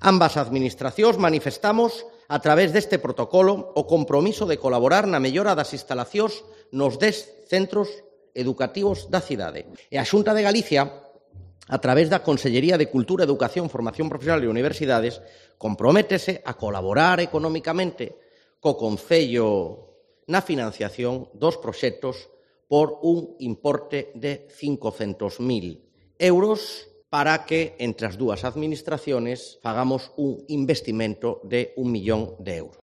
Ambas administracións manifestamos, a través deste protocolo, o compromiso de colaborar na mellora das instalacións nos 10 centros educativos da cidade. E a Xunta de Galicia, a través da Consellería de Cultura, Educación, Formación Profesional e Universidades, comprométese a colaborar economicamente co Concello na financiación dos proxectos por un importe de 500.000 euros para que entre as dúas administraciones fagamos un investimento de 1 millón de euros.